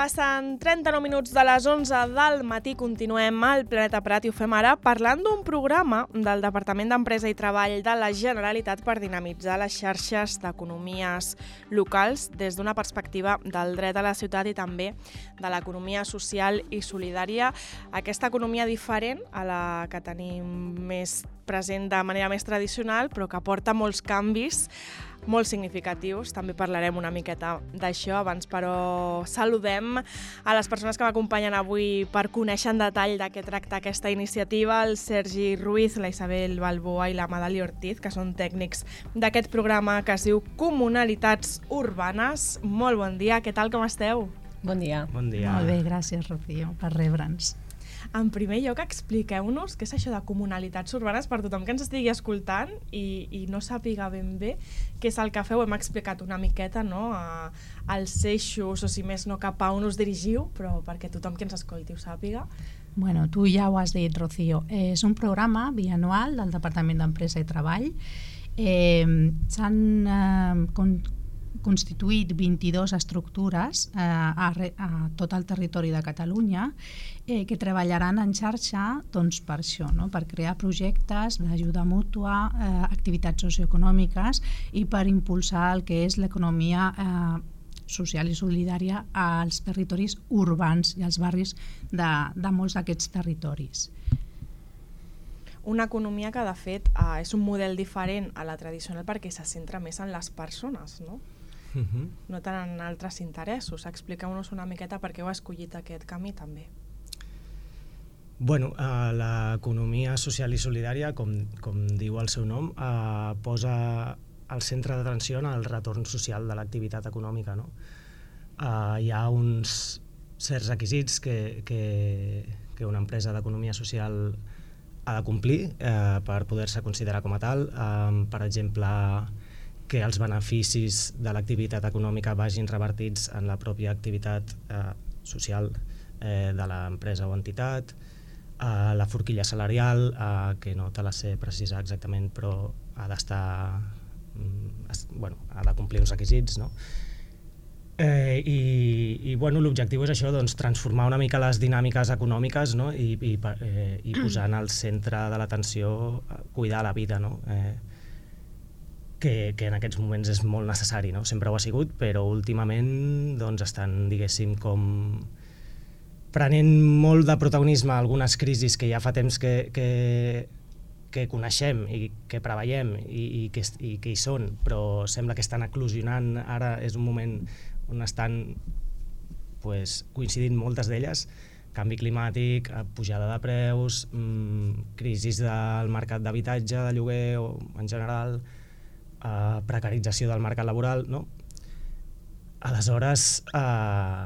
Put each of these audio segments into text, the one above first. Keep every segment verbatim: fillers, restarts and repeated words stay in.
Passen trenta-nou minuts de les onze del matí, continuem al Planeta Prat i ho fem ara parlant d'un programa del Departament d'Empresa i Treball de la Generalitat per dinamitzar les xarxes d'economies locals des d'una perspectiva del dret a la ciutat i també de l'economia social i solidària. Aquesta economia diferent a la que tenim més present de manera més tradicional, però que porta molts canvis molt significatius. També parlarem una miqueta d'això. Abans, però, saludem a les persones que m'acompanyen avui per conèixer en detall de què tracta aquesta iniciativa, el Sergi Ruiz, la Isabel Balboa i la Madali Ortiz, que són tècnics d'aquest programa que es diu Comunalitats Urbanes. Molt bon dia, què tal, com esteu? Bon dia. Bon dia. Molt bé, gràcies, Rocío, per rebre'ns. En primer lloc, expliqueu-nos què és això de comunalitats urbanes per tothom que ens estigui escoltant i, i no sàpiga ben bé què és el que feu. Hem explicat una miqueta, no?, a, als eixos, o si més no, cap a on us dirigiu, però perquè tothom que ens escolti ho sàpiga. Bueno, tu ja ho has dit, Rocío. És un programa bianual del Departament d'Empresa i Treball. Eh, S'han eh, con, constituït vint-i-dues estructures eh, a, a tot el territori de Catalunya eh, que treballaran en xarxa, doncs, per això, no? Per crear projectes d'ajuda mútua, eh, activitats socioeconòmiques i per impulsar el que és l'economia eh, social i solidària als territoris urbans i als barris de, de molts d'aquests territoris. Una economia que, de fet, eh, és un model diferent a la tradicional perquè se centra més en les persones, no? Uh-huh. No tant en altres interessos. Expliqueu-nos una miqueta per què heu escollit aquest camí també. Bueno, eh, l'economia social i solidària, com, com diu el seu nom, eh, posa al centre d'atenció en el retorn social de l'activitat econòmica, no? Eh, hi ha uns certs requisits que, que, que una empresa d'economia social ha de complir eh, per poder-se considerar com a tal. Eh, per exemple, que els beneficis de l'activitat econòmica vagin revertits en la pròpia activitat eh, social eh, de l'empresa o entitat, eh, la forquilla salarial, eh, que no te la sé precisar exactament, però ha d'estar, mm, bueno, ha de complir uns requisits, no? Eh, i, i bueno, l'objectiu és això, doncs, transformar una mica les dinàmiques econòmiques, no? I, i, eh, i posar en el centre de l'atenció cuidar la vida, no? Eh, Que, que en aquests moments és molt necessari, no? Sempre ho ha sigut, però últimament doncs, estan, diguéssim, com prenent molt de protagonisme algunes crisis que ja fa temps que, que, que coneixem i que preveiem i, i, que, i que hi són, però sembla que estan eclosionant. Ara és un moment on estan pues, coincidint moltes d'elles: canvi climàtic, pujada de preus, mmm, crisis del mercat d'habitatge, de lloguer o en general, Uh, precarització del mercat laboral, no? Aleshores, uh,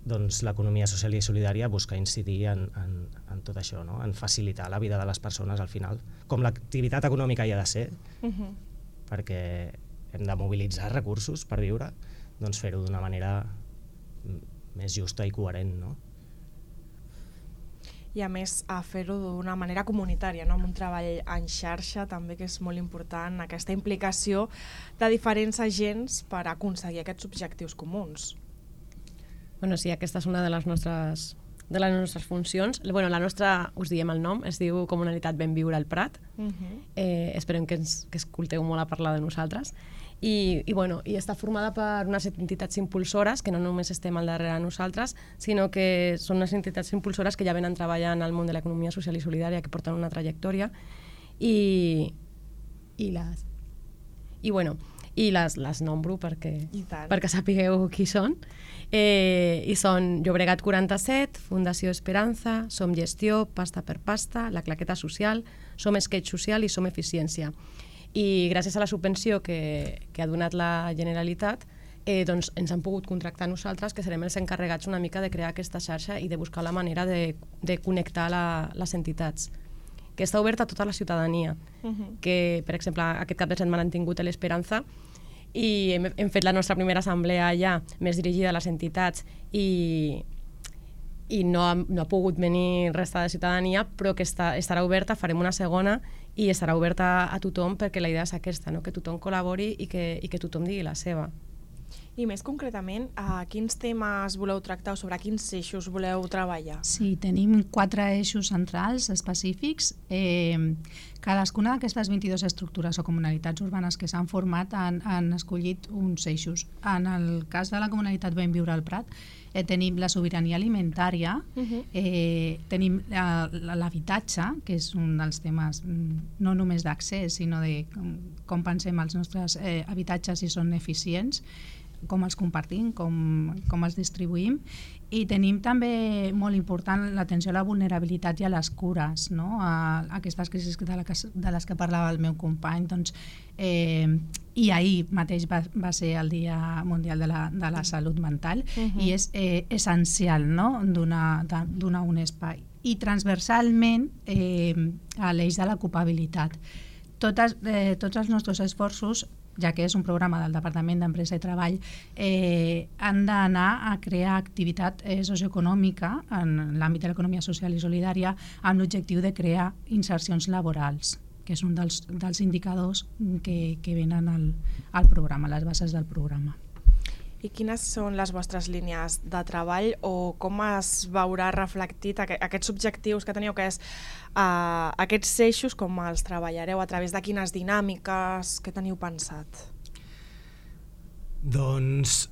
doncs l'economia social i solidària busca incidir en, en, en tot això, no? En facilitar la vida de les persones al final, com l'activitat econòmica hi ha de ser, uh-huh. perquè hem de mobilitzar recursos per viure, doncs fer-ho d'una manera més justa i coherent, no? I a més a fer-ho d'una manera comunitària, no? Amb un treball en xarxa també, que és molt important, aquesta implicació de diferents agents per aconseguir aquests objectius comuns. Bueno, sí, aquesta és una de les nostres, de les nostres funcions. Bueno, la nostra, us diem el nom, es diu Comunalitat Benviure al Prat. Uh-huh. eh, esperem que, ens, que escolteu molt a parlar de nosaltres. I, i, bueno, i està formada per unes entitats impulsores, que no només estem al darrere nosaltres, sinó que són unes entitats impulsores que ja venen treballant al món de l'economia social i solidària, que porten una trajectòria, i, i les, i, bueno, i les, les nombro perquè, perquè sapigueu qui són. Eh, I són Llobregat quaranta-set, Fundació Esperança, Som Gestió, Pasta per Pasta, La Claqueta Social, Som Sketch Social i Som Eficiència. I gràcies a la subvenció que, que ha donat la Generalitat, eh, doncs ens han pogut contractar nosaltres, que serem els encarregats una mica de crear aquesta xarxa i de buscar la manera de, de connectar la, les entitats, que està oberta a tota la ciutadania. Uh-huh. Que, per exemple, aquest cap de setmana han tingut l'Esperança i hem, hem fet la nostra primera assemblea allà, més dirigida a les entitats, i, i no, ha, no ha pogut venir resta de ciutadania, però que està, estarà oberta, farem una segona, i estarà oberta a tothom, perquè la idea és aquesta, no? Que tothom col·labori i que, i que tothom digui la seva. I més concretament, a quins temes voleu tractar o sobre quins eixos voleu treballar? Sí, tenim quatre eixos centrals específics. Eh, cadascuna d'aquestes vint-i-dues estructures o comunalitats urbanes que s'han format han, han escollit uns eixos. En el cas de la comunitat Ben Viure al Prat, eh, tenim la sobirania alimentària, uh-huh. eh, tenim l'habitatge, que és un dels temes no només d'accés, sinó de com, com pensem els nostres eh, habitatges si són eficients, com els compartim, com, com els distribuïm, i tenim també molt important l'atenció a la vulnerabilitat i a les cures, no? a, a aquestes crisis de, la que, de les que parlava el meu company. Doncs, eh, i ahir mateix va, va ser el Dia Mundial de la, de la Salut Mental, uh-huh. i és eh, essencial, no? donar, donar un espai. I transversalment eh, a l'eix de l'ocupabilitat. Totes, eh, tots els nostres esforços, ja que és un programa del Departament d'Empresa i Treball, eh, han d'anar a crear activitat eh, socioeconòmica en l'àmbit de l'economia social i solidària amb l'objectiu de crear insercions laborals, que és un dels, dels indicadors que, que venen al, al programa, les bases del programa. I quines són les vostres línies de treball o com es veurà reflectit aqu aquests objectius que teniu, que és uh, aquests eixos, com els treballareu, a través de quines dinàmiques, què teniu pensat? Doncs,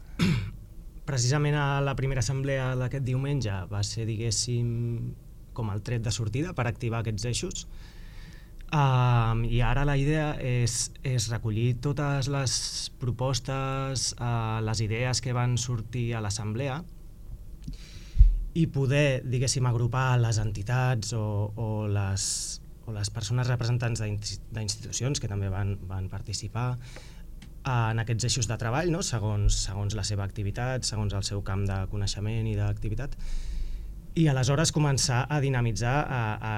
precisament a la primera assemblea d'aquest diumenge va ser, diguéssim, com el tret de sortida per activar aquests eixos. Uh, I ara la idea és, és recollir totes les propostes, uh, les idees que van sortir a l'assemblea i poder, diguéssim, agrupar les entitats o, o, les, o les persones representants d'institucions que també van, van participar en aquests eixos de treball, no? segons, segons la seva activitat, segons el seu camp de coneixement i d'activitat, i aleshores començar a dinamitzar a, a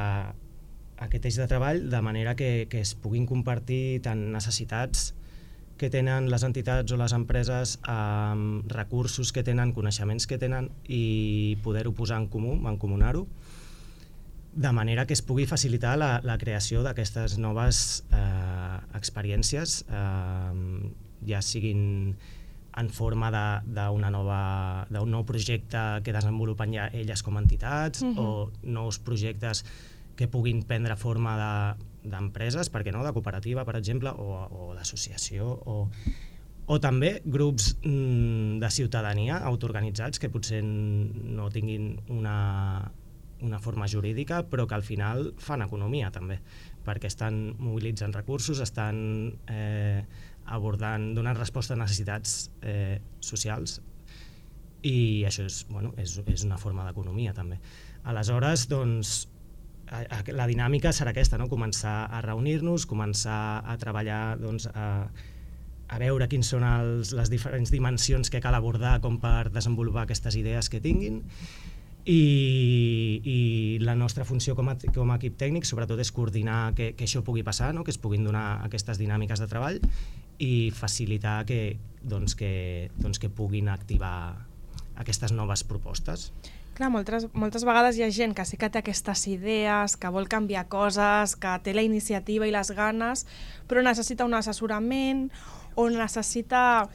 aquest eix de treball de manera que, que es puguin compartir tant necessitats que tenen les entitats o les empreses, eh, recursos que tenen, coneixements que tenen i poder-ho posar en comú, mancomunar-ho, de manera que es pugui facilitar la, la creació d'aquestes noves eh, experiències, eh, ja siguin en forma d'un nou projecte que desenvolupen ja elles com a entitats, uh-huh. o nous projectes que puguin prendre forma d'empreses, de, per què no, de cooperativa, per exemple, o, o d'associació, o, o també grups mm, de ciutadania autoorganitzats que potser no tinguin una, una forma jurídica, però que al final fan economia també, perquè estan mobilitzant recursos, estan eh, abordant, donant resposta a necessitats eh, socials, i això és, bueno, és, és una forma d'economia també. Aleshores, doncs, la dinàmica serà aquesta, no? Començar a reunir-nos, començar a treballar, doncs, a, a veure quins són els, les diferents dimensions que cal abordar com per desenvolupar aquestes idees que tinguin, i, i la nostra funció com a, com a equip tècnic sobretot és coordinar que, que això pugui passar, no? Que es puguin donar aquestes dinàmiques de treball i facilitar que, doncs, que, doncs, que puguin activar aquestes noves propostes. Clar, moltes, moltes vegades hi ha gent que sí que té aquestes idees, que vol canviar coses, que té la iniciativa i les ganes, però necessita un assessorament o necessita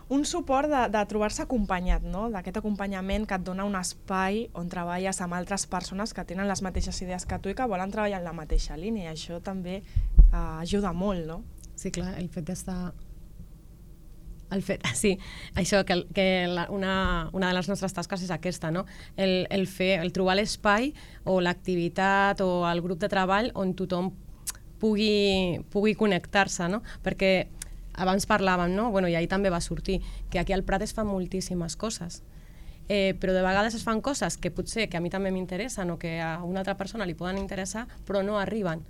un suport de, de trobar-se acompanyat, no? D'aquest acompanyament que et dona un espai on treballes amb altres persones que tenen les mateixes idees que tu i que volen treballar en la mateixa línia. Això també eh, ajuda molt, no? Sí, clar, el fet d'estar... El fet, sí, això, que, que la, una, una de les nostres tasques és aquesta, no? El, el, fer, el trobar l'espai o l'activitat o el grup de treball on tothom pugui, pugui connectar-se, no? Perquè abans parlàvem, no? Bueno, i ahir també va sortir, que aquí al Prat es fan moltíssimes coses, eh, però de vegades es fan coses que potser que a mi també m'interessen o que a una altra persona li poden interessar, però no arriben.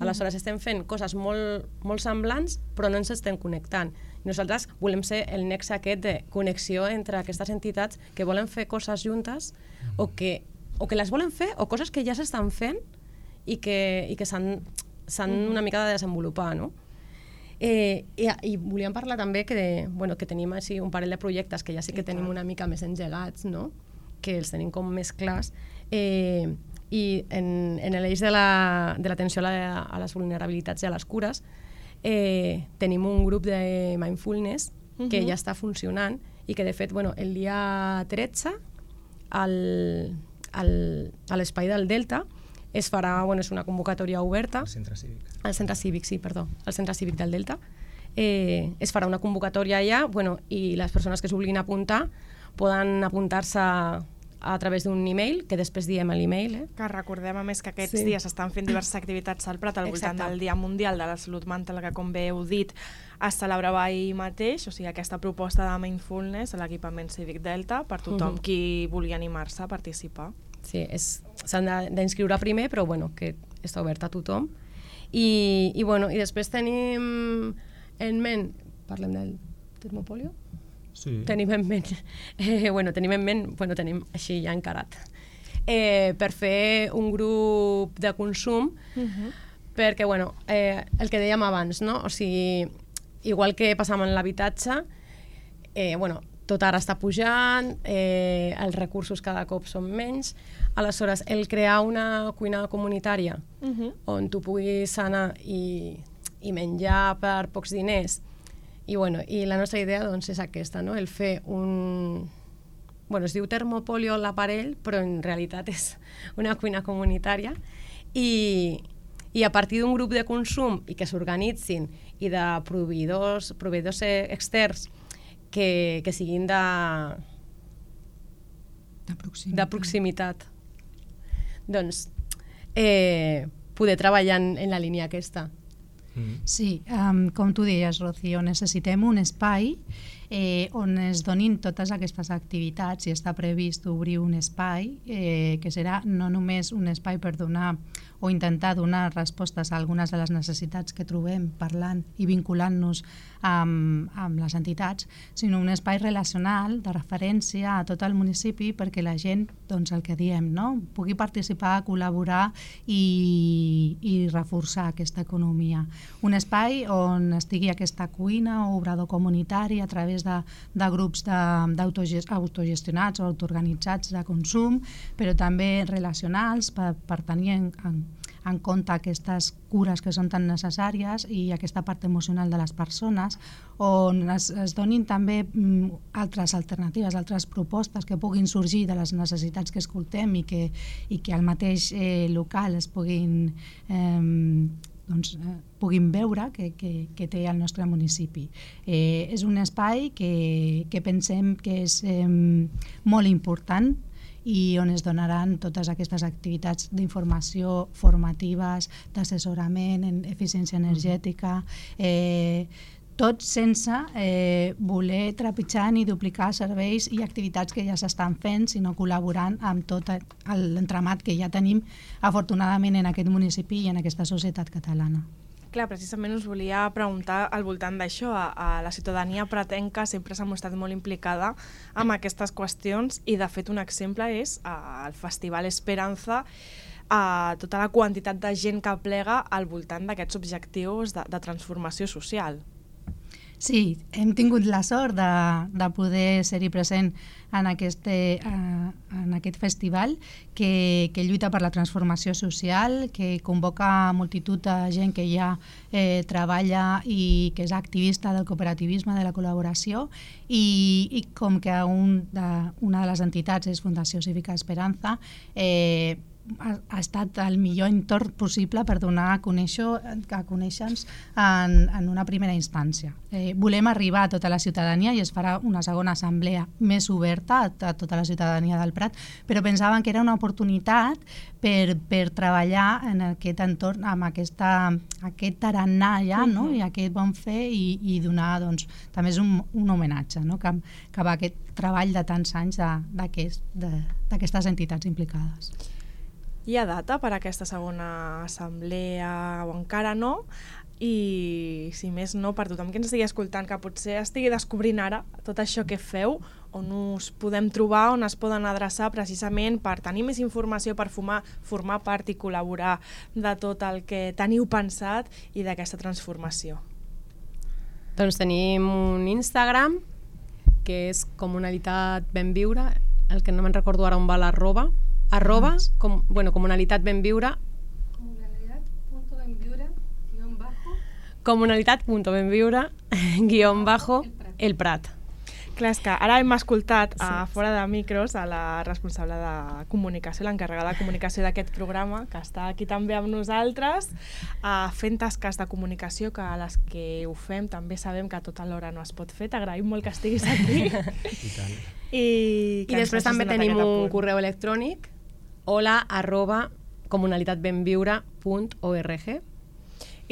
Aleshores estem fent coses molt, molt semblants, però no ens estem connectant. I nosaltres volem ser el nexe aquest de connexió entre aquestes entitats que volen fer coses juntes o que, o que les volen fer o coses que ja s'estan fent i que, i que s'han una mica de desenvolupar, no? Eh, i, I volíem parlar també que, de, bueno, que tenim així un parell de projectes que ja sí que tenim una mica més engegats, no? Que els tenim com més clars. Eh, I en, en l'eix de l'atenció la, a, la, a les vulnerabilitats i a les cures eh, tenim un grup de mindfulness que uh-huh. ja està funcionant i que de fet bueno, el dia tretze al, al, a l'espai del Delta es farà, bueno, és una convocatòria oberta. Al centre cívic. Al centre cívic, sí, perdó, al centre cívic del Delta. Eh, es farà una convocatòria allà, bueno, i les persones que es vulguin apuntar poden apuntar-se a través d'un email, que després diem l'email. Eh? Que recordem, a més, que aquests Sí. dies s'estan fent diverses activitats al Prat al voltant Exacte. del Dia Mundial de la Salut Mental, que, com bé heu dit, es celebrava ahir mateix, o sigui, aquesta proposta de mindfulness a l'equipament cívic Delta per tothom Mhm. qui vulgui animar-se a participar. Sí, és- s'han de- d'inscriure primer, però bueno, que està obert a tothom. I, i, bueno, i després tenim en ment, parlem del termopolio? Sí. Tenim en ment, eh, bueno, tenim en ment, bueno, tenim així ja encarat, eh, per fer un grup de consum, Uh-huh. perquè, bueno, eh, el que dèiem abans, no? O sigui, igual que passava en l'habitatge, eh, bueno, tot ara està pujant, eh, els recursos cada cop són menys, aleshores, el crear una cuina comunitària Uh-huh. on tu puguis anar i, i menjar per pocs diners, i, bueno, i la nostra idea doncs, és aquesta, no? El fer un... Bueno, es diu termopolio l'aparell, però en realitat és una cuina comunitària, i, i a partir d'un grup de consum i que s'organitzin i de proveïdors, proveïdors externs que, que siguin de, De proximitat. de proximitat, doncs eh, poder treballar en, en la línia aquesta. Mm. Sí, um, com tu deies, Rocío, necessitem un espai eh, on es donin totes aquestes activitats, i està previst obrir un espai eh, que serà no només un espai per donar o intentar donar respostes a algunes de les necessitats que trobem parlant i vinculant-nos amb, amb les entitats, sinó un espai relacional de referència a tot el municipi perquè la gent, doncs el que diem, no? pugui participar, col·laborar i, i reforçar aquesta economia. Un espai on estigui aquesta cuina o obrador comunitari a través de, de grups de- d'autogest- autogestionats o autoorganitzats de consum, però també relacionals per, per tenir en, en, en compte aquestes cures que són tan necessàries i aquesta part emocional de les persones, on es, es donin també mm, altres alternatives, altres propostes que puguin sorgir de les necessitats que escoltem i que, i que al mateix eh, local es puguin eh, doncs, eh, puguin veure que, que, que té el nostre municipi. Eh, és un espai que, que pensem que és eh, molt important i on es donaran totes aquestes activitats d'informació formatives, d'assessorament en eficiència energètica, eh, tot sense eh, voler trepitjar ni duplicar serveis i activitats que ja s'estan fent, sinó col·laborant amb tot l'entramat que ja tenim afortunadament en aquest municipi i en aquesta societat catalana. Clar, precisament us volia preguntar al voltant d'això. A, a la ciutadania pratenca sempre s'ha mostrat molt implicada amb aquestes qüestions i, de fet, un exemple és uh, el Festival Esperanza, uh, tota la quantitat de gent que plega al voltant d'aquests objectius de, de transformació social. Sí, hem tingut la sort de, de poder ser-hi present en aquest, eh, en aquest festival que, que lluita per la transformació social, que convoca multitud de gent que ja eh, treballa i que és activista del cooperativisme, de la col·laboració, i, i com que un de, una de les entitats és Fundació Cívica Esperanza, eh, ha, ha estat el millor entorn possible per donar a conèixer a conèixer-nos en, en una primera instància. Eh, volem arribar a tota la ciutadania i es farà una segona assemblea més oberta a, a tota la ciutadania del Prat, però pensaven que era una oportunitat per, per treballar en aquest entorn amb aquesta, aquest tarannà ja, no? I aquest bon fer i, i donar, doncs, també és un, un homenatge, no? Cap, cap a aquest treball de tants anys d'aquestes aquest, entitats implicades. Hi ha data per a aquesta segona assemblea o encara no? I, si més no, per tothom que ens estigui escoltant, que potser estigui descobrint ara tot això que feu, on us podem trobar, on es poden adreçar precisament per tenir més informació, per formar, formar part i col·laborar de tot el que teniu pensat i d'aquesta transformació. Doncs tenim un Instagram, que és Comunalitat Benviure, el que no me'n recordo ara on va l'arroba, arroba, com, bueno, Comunalitat Benviure, Comunalitat.benviure comunalitat.benviure guión bajo el Prat. Clar, és que ara hem escoltat Sí, a fora de micros a la responsable de comunicació, l'encarregada de comunicació d'aquest programa, que està aquí també amb nosaltres, uh, fent tasques de comunicació, que a les que ho fem també sabem que a tota l'hora no es pot fer. T'agraïm molt que estiguis aquí. I tant. I, I després també tenim un correu electrònic, hola arroba comunalitatbenviure punt org.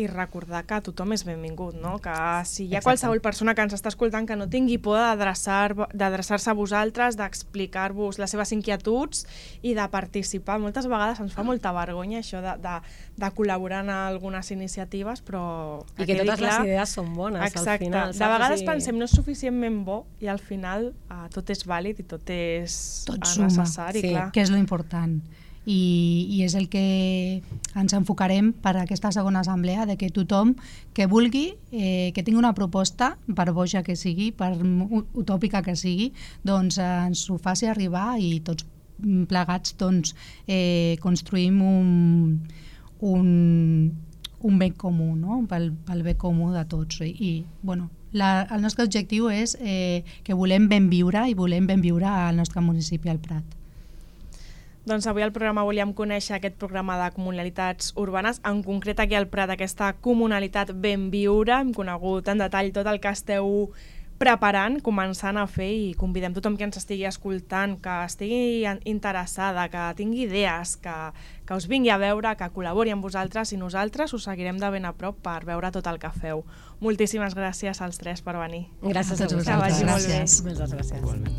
I recordar que tothom és benvingut, no? Que si hi ha Exacte. qualsevol persona que ens està escoltant que no tingui por d'adreçar- d'adreçar-se a vosaltres, d'explicar-vos les seves inquietuds i de participar. Moltes vegades ens fa molta vergonya això de, de, de col·laborar en algunes iniciatives, però... I que totes les idees són bones, Exacte. al final. De vegades pensem no és suficientment bo i al final uh, tot és vàlid i tot és Tot uh, suma. necessari, Sí. clar. que és lo important. I, i és el que ens enfocarem per a aquesta segona assemblea, de que tothom que vulgui, eh, que tingui una proposta, per boja que sigui, per utòpica que sigui, doncs eh, ens ho faci arribar i tots plegats doncs, eh, construïm un, un, un bé comú, no? pel, pel bé comú de tots. I, i bueno, la, el nostre objectiu és eh, que volem ben viure i volem ben viure al nostre municipi, al Prat. Doncs avui al programa volíem conèixer aquest programa de comunalitats urbanes, en concret aquí al Prat, aquesta comunalitat ben viure. Hem conegut en detall tot el que esteu preparant, començant a fer, i convidem tothom que ens estigui escoltant, que estigui interessada, que tingui idees, que, que us vingui a veure, que col·labori amb vosaltres, i nosaltres us seguirem de ben a prop per veure tot el que feu. Moltíssimes gràcies als tres per venir. Gràcies A a tots vosaltres. vosaltres. Gràcies. Moltes gràcies. Igualment.